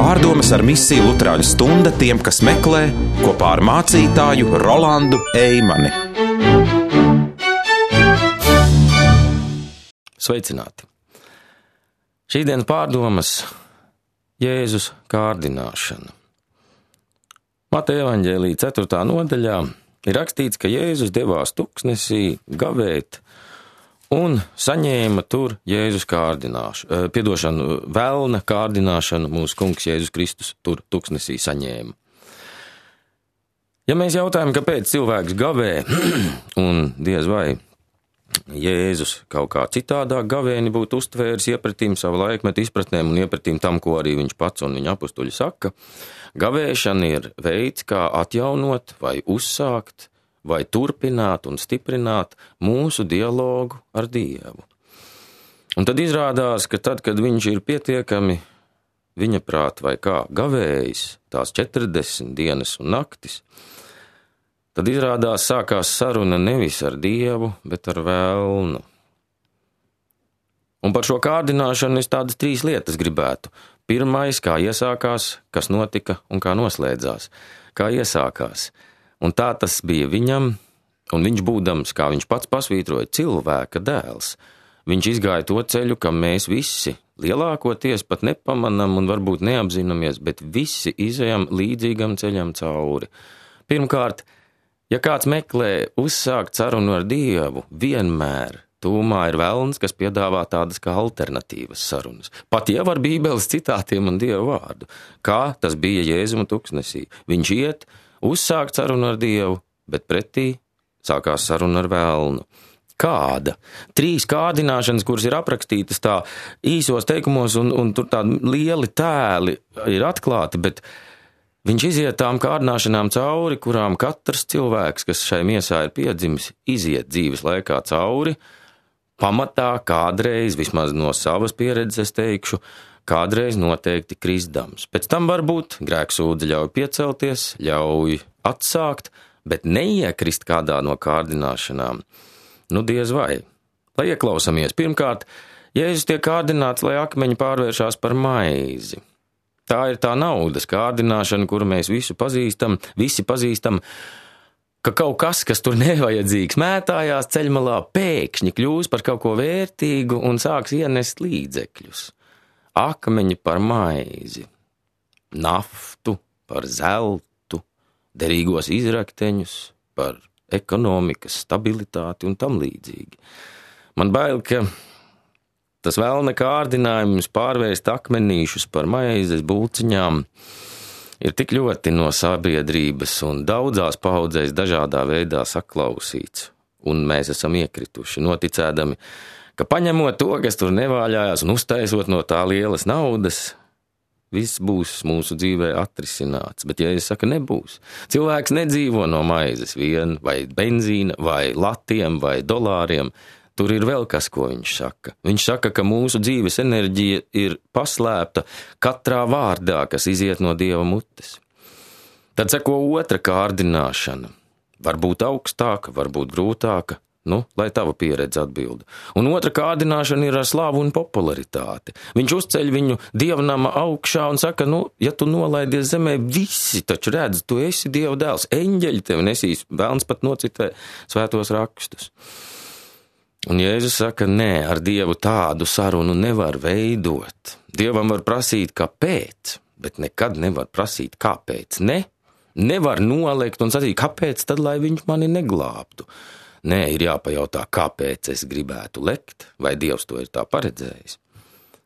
Pārdomas ar misiju Luterāņu stunda tiem, kas meklē, kopā ar mācītāju Rolandu Eimani. Sveicināti! Šīsdienas pārdomas Jēzus kārdināšana. Mateja evaņģēlija 4. nodaļā ir rakstīts, ka Jēzus devās tuksnesī gavēt un saņēma tur Jēzus velna kārdināšanu mūsu kungs Jēzus Kristus tur tuksnesī saņēma. Ja mēs jautājam, kāpēc cilvēks gavē, un diez vai Jēzus kaut kā citādāk gavēni būtu uztvēris iepratīm savu laikmetu izpratnēm un iepratīm tam, ko arī viņš pats un viņa apustuļi saka, gavēšana ir veids, kā atjaunot vai uzsākt vai turpināt un stiprināt mūsu dialogu ar Dievu. Un tad izrādās, ka tad, kad viņš ir pietiekami viņa prāt vai kā gavējis tās 40 dienas un naktis, tad izrādās sākās saruna nevis ar Dievu, bet ar velnu. Un par šo kārdināšanu es tādas 3 lietas gribētu. Pirmais, kā iesākās, kas notika un kā noslēdzās. Kā iesākās. Un tā tas bija viņam, un viņš būdams, kā viņš pats pasvītroja, cilvēka dēls. Viņš izgāja to ceļu, kam mēs visi lielākoties pat nepamanam un varbūt neapzināmies, bet visi izejam līdzīgam ceļam cauri. Pirmkārt, ja kāds meklē uzsākt sarunu ar Dievu, vienmēr tūmā ir velns, kas piedāvā tādas kā alternatīvas sarunas. Pat jau ar Bībeles citātiem un Dieva vārdu. Kā tas bija Jēzuma tuksnesī. Viņš iet, uzsākt sarunu ar Dievu, bet pretī sākās saruna ar velnu. Kāda? 3 kārdināšanas, kuras ir aprakstītas tā īsos teikumos, un tur tādi lieli tēli ir atklāti, bet viņš iziet tām kārdināšanām cauri, kurām katrs cilvēks, kas šai miesā ir piedzimis, iziet dzīves laikā cauri, pamatā kādreiz, vismaz no savas pieredzes teikšu, kādreiz noteikti kristdams. Pēc tam varbūt grēksūdze ļauj piecelties, ļauj atsākt, bet neiekrist kādā no kārdināšanām. Nu diez vai. Lai ieklausamies, pirmkārt, Jēzus tiek kārdināts, lai akmeņi pārvēršās par maizi. Tā ir tā naudas kārdināšana, kuru mēs visi pazīstam, ka kaut kas, kas tur nevajadzīgs, mētājās ceļmalā, pēkšņi kļūs par kaut ko vērtīgu un sāks ienest līdzekļus. Akmeņi par maizi, naftu par zeltu, derīgos izrakteņus par ekonomikas stabilitāti un tam līdzīgi. Man bail, ka tas velna kārdinājums pārvērst akmenīšus par maizes bulciņām ir tik ļoti no sabiedrības un daudzās paudzēs dažādā veidā saklausīts, un mēs esam iekrituši, noticēdami, ka paņemot to, kas tur nevāļājās un uztaisot no tā lielas naudas, viss būs mūsu dzīvē atrisināts, bet ja es saku, nebūs. Cilvēks nedzīvo no maizes vien, vai benzīna, vai latiem, vai dolāriem. Tur ir vēl kas, ko viņš saka. Viņš saka, ka mūsu dzīves enerģija ir paslēpta katrā vārdā, kas iziet no Dieva mutes. Tad sako otra kārdināšana. Varbūt augstāka, varbūt grūtāka, lai tava pieredze atbilda. Un otra kārdināšana ir ar slāvu un popularitāti. Viņš uzceļ viņu dievnama augšā un saka, ja tu nolaidies zemē, visi taču redz, tu esi Dieva dēls, eņģeļi tevi nesīs, vēlns pat nocitē svētos rakstus. Un Jēzus saka, nē, ar Dievu tādu sarunu nevar veidot. Dievam var prasīt, kāpēc, bet nekad nevar prasīt, kāpēc. Nevar noliekt un sacīt, kāpēc tad, lai viņš mani neglābtu. Nē, ir jāpajautā, kāpēc es gribētu lekt, vai Dievs to ir tā paredzējis.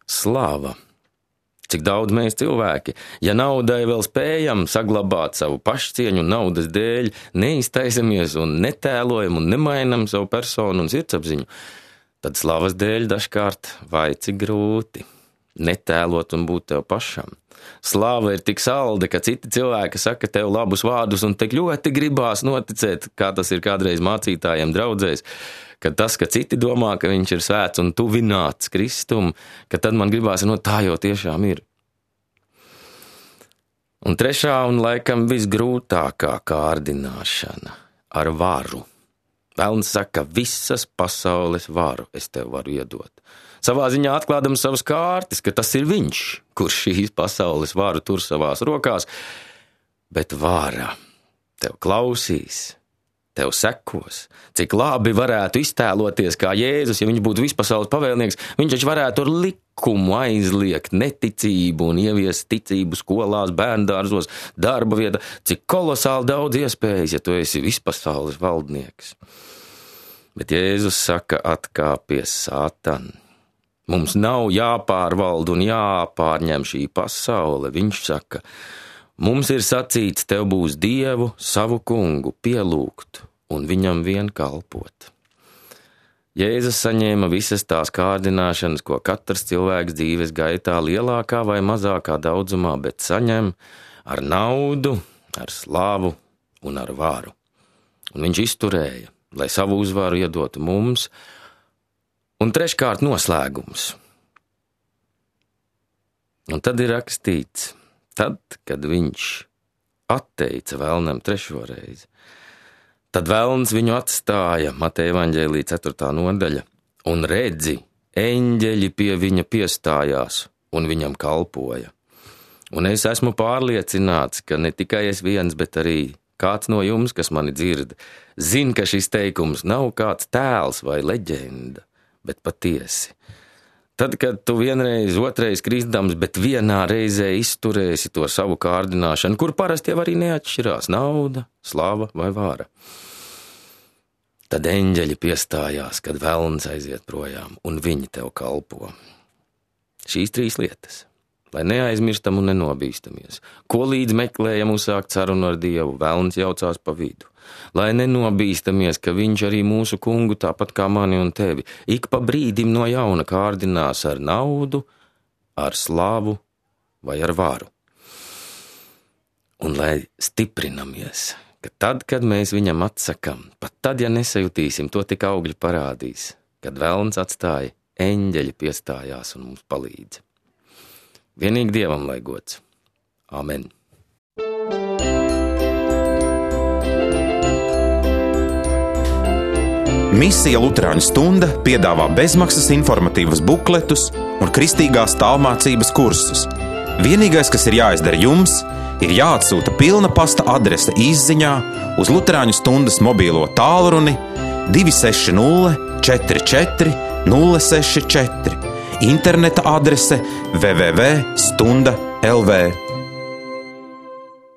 Slava! Cik daudz mēs cilvēki, ja naudai vēl spējam saglabāt savu pašcieņu un naudas dēļ, neiztaisamies un netēlojam un nemainam savu personu un sirdsapziņu, tad slavas dēļ dažkārt vai cik grūti netēlot un būt tev pašam. Slava ir tik salda, ka citi cilvēki saka tev labus vārdus un tik ļoti gribās noticēt, kā tas ir kādreiz mācītājiem draudzēs, ka tas, ka citi domā, ka viņš ir svēts un tuvināts Kristum, ka tad man gribās, tā jau tiešām ir. Un trešā un laikam visgrūtākā kārdināšana ar varu. Velns saka, visas pasaules varu es tev varu iedot. savā ziņā atklādams savas kārtas, ka tas ir viņš, kurš šīs pasaules varu tur savās rokās, bet vara tev klausīs, tev sekos. Cik labi varētu iztēloties, kā Jēzus, ja viņš būtu vispasaules pavēlnieks, viņš taču varētu ar likumu aizliegt neticību un ieviest ticību skolās, bērndārzos, darba vietā. Cik kolosāli daudz iespējas, ja tu esi vispasaules valdnieks. Bet Jēzus saka, atkāpies Sātan. Mums nav jāpārvalda un jāpārņem šī pasaule. Viņš saka, mums ir sacīts, tev būs Dievu, savu kungu, pielūgt un viņam vien kalpot. Jēzus saņēma visas tās kārdināšanas, ko katrs cilvēks dzīves gaitā lielākā vai mazākā daudzumā, bet saņem ar naudu, ar slavu un ar varu. Un viņš izturēja, lai savu uzvaru iedotu mums. Un treškārt noslēgums. Un tad ir rakstīts, tad, kad viņš atteica vēlnam trešo reizi, tad vēlns viņu atstāja, Mateja evaņģēlija 4. nodaļa, un redzi, eņģeļi pie viņa piestājās un viņam kalpoja. Un es esmu pārliecināts, ka ne tikai es viens, bet arī kāds no jums, kas mani dzird, zin, ka šis teikums nav kāds tēls vai leģenda, bet patiesi. Tad, kad tu vienreiz, otrais kristdams, bet vienā reizē izturēsi to savu kārdināšanu, kur parasti jau arī neatšķirās nauda, slava vai vāra. Tad eņģeļi piestājās, kad velns aiziet projām, un viņi tev kalpo. Šīs 3 lietas, lai neaizmirstam un nenobīstamies. Ko līdz meklējam uzsākt sarunu ar Dievu, velns jaucās pa vidu. Lai nenobīstamies, ka viņš arī mūsu kungu, tāpat kā mani un tevi, ik pa brīdim no jauna kārdinās ar naudu, ar slavu vai ar varu. Un lai stiprinamies, ka tad, kad mēs viņam atsakam, pat tad, ja nesajutīsim, to tik augļi parādīs, kad velns atstāja, eņģeļi piestājās un mums palīdz. Vienīgi Dievam lai gods. Amen. Misija Luterāņu stunda piedāvā bezmaksas informatīvus bukletus un kristīgās tālmācības kursus. Vienīgais, kas ir jāizdara jums, ir jāatsūta pilna pasta adrese izziņā uz Luterāņu stundas mobīlo tālruni 260 44 064, interneta adrese www.stunda.lv.